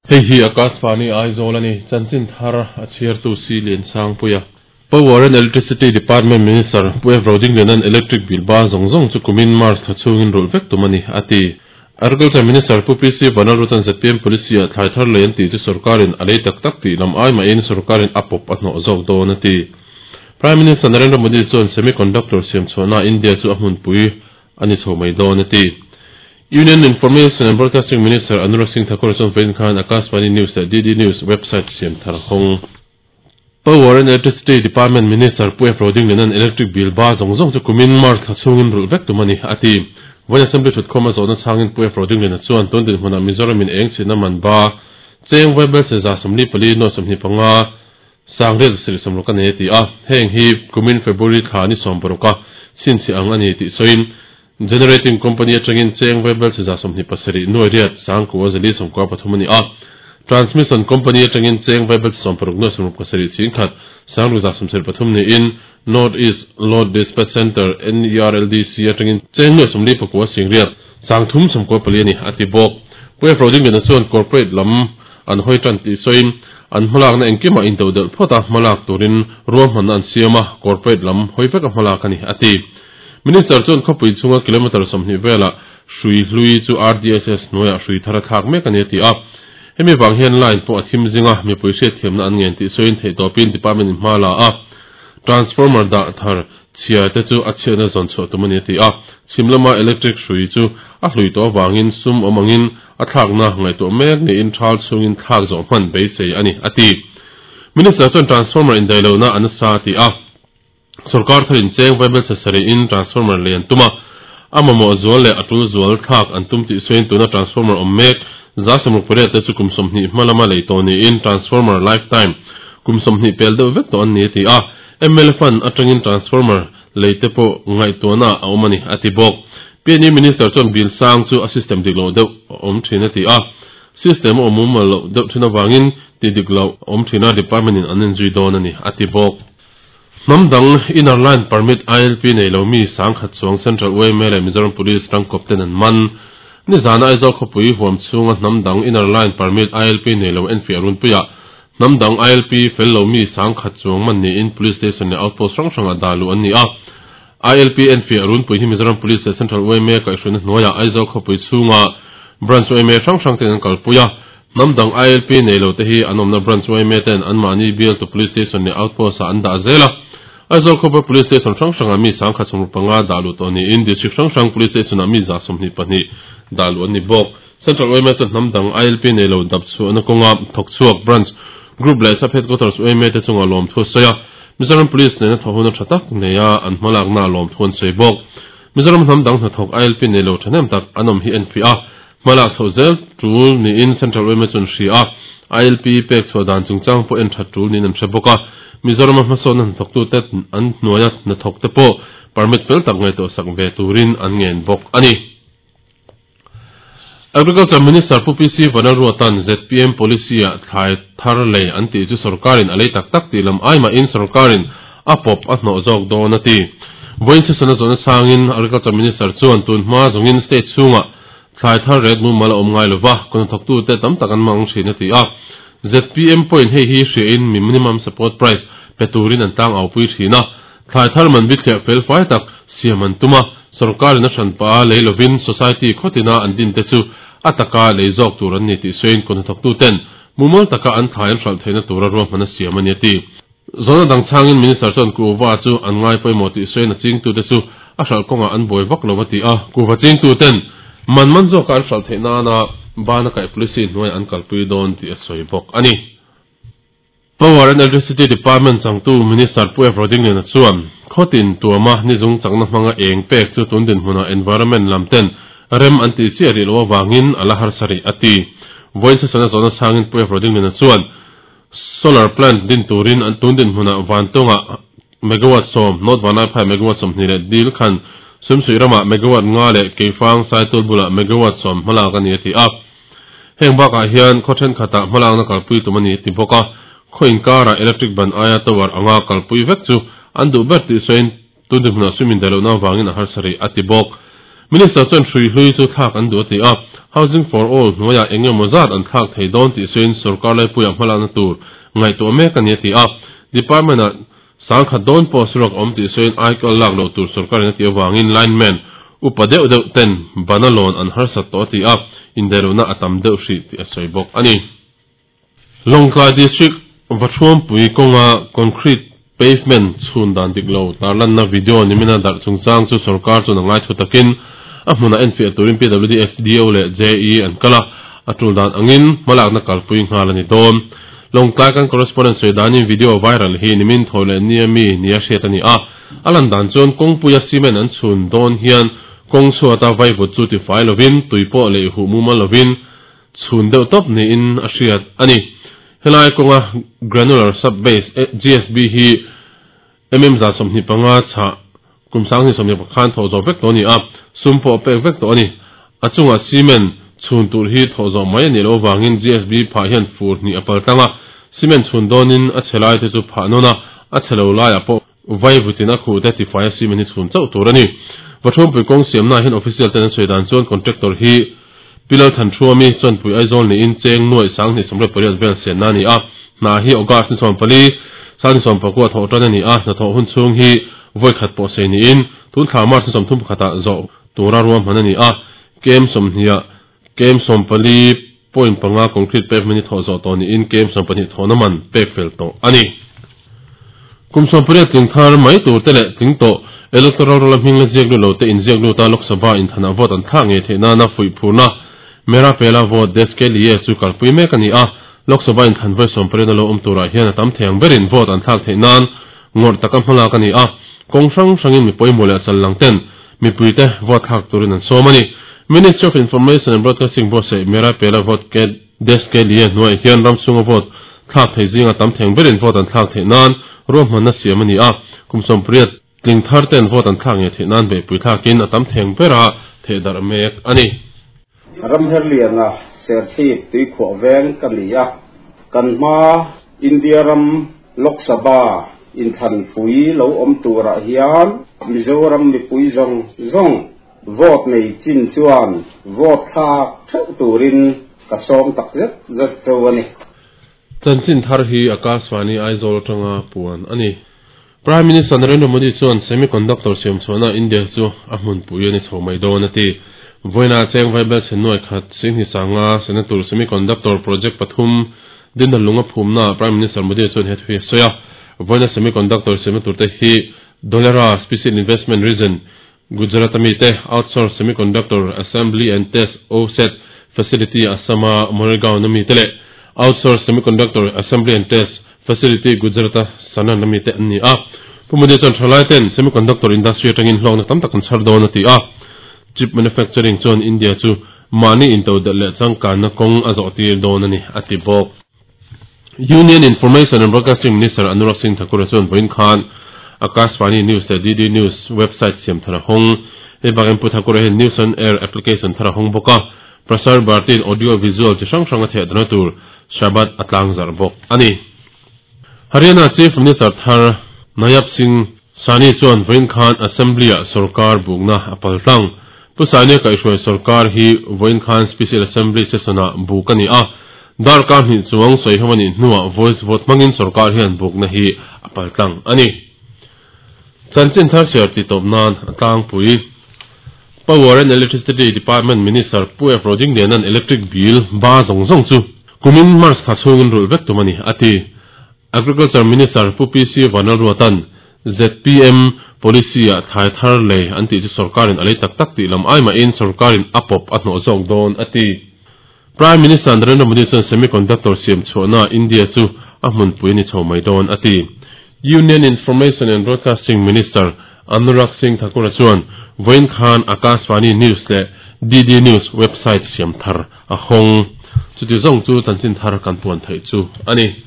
Hei hi Akashvani Aizawl a ni. Chanchin thar a chhiartu Si Liansangpuia. Power and Electricity Department Minister Pu F Rodingliana'n electric bill ba zawng zawng chu kumin March thla chhungin rulh vek tum a ni, a ti. Agriculture Minister Pu PC Vanlalruata'n zpm Policy-ah thlai thar lei an tih chu sorkarin a lei tak tak tih lam ai mahin sorkarin a pawp a hnawh zawk dawn a ti. Prime Minister Narendra Modi chuan semiconductor siam chhuahnaah India chu a hmunpui a ni chho mai dawn a ti. Union Information and Broadcasting Minister Anurag Singh Thakur chuan vawiin khan Akashvani News leh DD News website siam thar hawng. Power and Electricity Department Minister Pu F Rodingliana'n electric bill ba zawng zawng chu kumin March thla chhungin rulh vek tum a ni, a ti. Vawiin Assembly thutkhawm a zawhna chhangin Pu F Rodingliana chuan tun dinhmunah Mizoramin eng chhitna man ba cheng vaibelchhe 44 nuai 25 sangriat sarih sawmruk a nei a ti a. Heng hi kumin February thla ni 16 a chhinchhiah ang a ni tih sawiin Generating Company atangin cheng vaibelchhe 27 nuai riat sangkua zali sawmkua pathum a ni a. Transmission Company atangin cheng vaibelchhe 60 nuai sawmruk pasarih chingkhat sangruk 73 niin North East Load Dispatch Centre, NERLDC, atangin cheng nuai 49 singriat sangthum 94 a ni, a ti bawk. Pu F. Rodingliana chuan corporate lam an hawi tan tih sawiin an hmalakna engkimah intodelh phawt a hmalak turin ruahmanna an siam a, corporate lam hawi veka hmalak a ni, a ti. Minister chuan khawpui chhunga kilometre 20 velah hrui hlui chu RDSS hnuaiah hrui thar a thlak mek a ni a ti a. Hemi vang hian line pawh a thim zing a, mipui hriatthiamna an ngen tih sawiin theihtawpin department in hma la a, transformer dah thar chhia te chu a chhiatna zawn chhuah tum a ni a ti a. Chhim lama electric hrui chu a hlui tawh avangin sum awm angin a thlakna ngaihtuah mek niin thal chhungin thlak zawh hman beisei a ni a ti. Minister chuan transformer indaihlohna a nasa a ti a. Sorkar tharin cheng vaibelchhe sarih-in transformer lei an tum a, a mamawh zual leh a tul zual thlak an tum tih sawiin tuna transformer awm mek 68 te chu kum 20 hma lama lei tawh niin transformer lifetime kum 20 pel deuh vek tawh an ni a ti a, mla fund atangin transformer lei te pawh ngaihtuahna a awm a ni a ti bawk. PNU Minister chuan bill sang chu a system dik loh deuh a awm thin a ti a, system a awm mumal loh deuh thin avangin ti dik loh a awm thin a, department in an enzui dawn a ni a ti bawk. Hnam dang Inner Line Permit, ILP, nei lo mi sangkhat chuang Central yma leh Mizoram Police rangkawp ten an man. Nizana Aizawl khawpui huam chhunga hnam dang Inner Line Permit, ILP, nei lo enfiah runpuiah hnam dang ILP fel lo mi sangkhat chuang man niin Police Station leh Outpost hrang hrangah dah luh an ni a. ILP enfiah runpui hi Mizoram Police leh Central yma kaihhruaina hnuaiah Aizawl khawpui chhunga Branch yma hrang hrang ten an kalpui a. Hnam dang ILP nei lo te hi an awmna Branch yma ten anmahni bialtu Police Station leh Outpost ah an dah zel a. Aizawl khawpa Police Station hrang hrangah mi 1075 dah luh tawh niin District hrang hrang Police Station ah mi 22 dah luh an ni bawk. Central yma chuan hnam dang ILP nei lo dap chhuahna kawnga thawk chhuak Branch, Group leh Sub Headquarters yma te chungah lawmthu a sawi a. Mizoram Police nena thawh huna tha tak neia an hmalakna ah lawmthu an sawi bawk. Mizoram hnam dang hnathawk ILP nei lo thahnem tak an awm hi enfiah a. Hmalak chhoh zel tul niin Central yma chuan hria a, ILP pek chhuah dan chungchang pawh en that tul niin an hre bawk a. Mizorama hmasawnna hnathawktute an hnuaia hnathawkte pawh permit fel tak ngaihtuah sak ve turin an ngen bawk a ni. Agriculture Minister Pu PC Vanlalruata'n zpm policy-ah thlai thar lei an tih chu sorkarin a lei tak tak tih lam ai mahin sorkarin a pawp a hnawh zawk dawn a ti. Vawiin session-a zawhna changin Agriculture Minister chuan tun hma zawngin state chhungah Thlai thar ret mumal a awm ngai lova, kawhnathawktute tam tak an mang thin a ti a. Zpm pawhin hei hi hriain mi minimum support price pe turin an tlang aupui thin a. Thlai thar man bithliah fel fai tak siam an tum a, sorkarin a hranpa lei lovin society khawtina an dinte chu a taka lei zawk tur an ni tih sawiin kawhnathawktuten mumal taka an thlai an hralh theihna tura ruahman a siam a ni a ti. Zawhna dang chhangin Minister chuan kuhva chu an ngai pawimawh tih sawiin a chingtute chu a hralh kawngah an buai vak lo a ti a. Kuhva chingtuten man man zawka an hralh theih nana bana kaih policy hnuaiah an kalpui dawn tih a sawi bawk a ni. Power and Electricity Department changtu Minister Pu F. Rodingliana chuan khawtin tuama nizung chakna hmanga eng pek chu tun dinhmunah environment lam ten rem an tih chiah rih loh avangin a la harsa rih a ti. Vawiin session-a zawhna chhangin Pu F. Rodingliana chuan Solar plant din turin an tun dinhmunah Vantawngah megawatt 10, North Vanlaiphai megawatt 20 leh Dil khan Sumsuih ramah megawatt 5 leh Keifang Saitul bulah megawatt 10 hmalak a ni a ti a. Heng bakah hian khaw thenkhatah hmalakna kalpui tum a ni a ti bawk a. Khaw inkarah electric ban aia tower anga kalpui vek chu an duh ber tih sawiin tun dinhmunah sum indaih lohna avangin a harsa rih a ti bawk. Minister chuan hrui hlui chu thlak an duh a ti a, Housing for All hnuaiah eng emaw zat an thlak thei dawn tih sawiin sorkar laipuiah hmalakna tur ngaihtuah mek a ni a ti a. Department-ah sangkhat dawn pawh suruak a awm tih sawiin aikal lak loh tur sorkarin a tih avangin lineman upa deuh deuh ten bana lawn an harsat tawh a ti a, indaihlohna a tam deuh hrih tih a sawi bawk a ni. Lawngtlai District Vathuampui kawnga concrete pavement chhun dan dik lo tarlanna video nimina darh chungchang chu sorkar chuan a ngaithu takin a hmunah enfiah turin PWD SDO leh JE an kal a, a tul dan angin hmalakna kalpui nghal a ni dawn. Lawngtlai kan correspondent sawi danin video viral hi nimin thawi leh nia mi nia hriat a ni a, a lan dan chuan kawngpuia cement an chhun dawn hian kawng chhuata vaivut chu tifai lovin tui pawh leh huh mumal lovin chhun deuh tawp niin a hriat a ni. Helai kawnga Granular Sub Base, GSB, hi mm 25 chhah kum 2020 khan thawh zawh vek tawh a ni a, sum pawh a pek vek tawh a ni. A chungah cement chhun tur hi thawh zawh mai a nih loh avangin GSB phah hian fur hnih a pal tlang a, cement chhun dawnin a chhe lai te chu phah nawn a, a chhe lo laiah pawh Vaivutin a khuh te tifai a cement hi chhun chauh tur a ni. Vathuampui kawng siamnaah hian official ten an sawi dan chuan contractor hi Pi Lalthanhruami Chuanpui Aizawl niin cheng nuaih 2028 vel senna a ni a. Hna hi August ni 14, 2019 thawh tan a ni a, hnathawh hun chhung hi vawi khat pawh sei niin tun thla March ni 31 ah zawh tura ruahman a ni a. Kem sawmhniah kem sawmpali point panga concrete pavement hi thawh zawh tawh niin kem 12 thawhna man pek fel tawh a ni. Kum 18 tling thar mai tur te leh tling tawh electoral roll a hming la ziak lut lo te inziak lut a Lok Sabha inthanah vote an thlak ngei theih nana fuih phurna Mera Pehla Vote Desh Ke Liye chu kalpui mek a ni a. Lok Sabha inthan vawi 18 a lo awm turah hian a tam thei ang berin vote an thlak theih nan ngawrh taka hmalak a ni a. Kawng hrang hrangin mi pawimawh leh chal lang ten mipuite vote thlak turin an sawm a ni. Ministry of Information and Broadcasting buatsaih Mera Pehla Vote Ke Desh Ke Liye hnuaiah hian ram chhunga vote thlak thei zinga tam theng berin vote an thlak theih nan ruahmanna siam a ni a, kum 18 tling thar ten vote an thlak ngei theih nan beihpui thlakin a tam theng bera thehdarh mek a ni. Ramherliana Serchhip tuikhuah veng ka ni a, kan hma India ram Lok Sabha inthanpui lo awm turah hian Mizoram mipui zawng zawng vote nei chin chuan vote thlak theuh turin ka sawm tak zet zet cheu a ni. Chanchin thar hi Akashvani Aizawl atanga puan a ni. Prime Minister Narendra Modi chuan semiconductor siam chhuahna India chu a hmunpui a ni chho mai dawn a ti. Vawiina cheng vaibel chhe nuai khat Singhi Sanga Senator semiconductor project pathum dinna lunga phumnaah Prime Minister Modi chuan he thu hi a sawi a. Vawiina semiconductor siamna turte hi Dholera Special Investment Region Gujarat-a mite Outsource Semiconductor Assembly and Test, OSAT, Facility Assam-a Morigaon-a mite leh Outsource Semiconductor Assembly and Test Facility Gujarat-a Sanand-a mite an ni a. Pu Modi chuan thalaiten semiconductor industry atangin hlawkna tam tak an chhar dawn a ti a. Chip manufacturing chuan India chu mahni intodelh leh changkanna kawng a zawh tir dawn a ni, a ti bawk. Union Information and Broadcasting Minister Anurag Singh Thakur-a chuan vawiin khan Akashvani News leh DD News website siam thar a hawng. Hei bakin Pu Thakur-a hian News on Air application thar a hawng bawk a, Prasar Bharti-in audio visual chi hrang hrang a theh dana tur Shabad a tlangzarh bawk a ni. Haryana Chief Minister thar Nayab Singh Saini chuan vawiin khan Assembly-ah sorkar bukna a pal tlang. Pu Saini-a kaihhruai sorkar hi vawiin khan Special Assembly session-ah buk a ni a, Darkar hnih chuang sawi ho a nih hnuah voice vote hmangin sorkar hian bukna hi a pal tlang a ni. Chanchin thar chhiar tih tawp nan a tlangpui. Power and Electricity Department Minister Pu F. Rodingliana'n electric bill ba zawng zawng chu kumin March thla chhungin rulh vek tum a ni, a ti. Agriculture Minister Pu PC Vanlalruata'n zpm policy-ah thlai thar lei an tih chu sorkarin a lei tak tak tih lam ai mahin sorkarin a pawp a hnawh zawk dawn, a ti. Prime Minister Narendra Modi chuan semiconductor siam chhuahna India chu a hmunpui a ni chho mai dawn, a ti. Union Information and Broadcasting Minister Anurag Singh Thakur-a chuan vawiin khan Akashvani News leh DD News website siam thar a hawng. Chuti zawng chu chanchin thar kan puan theih chu a ni.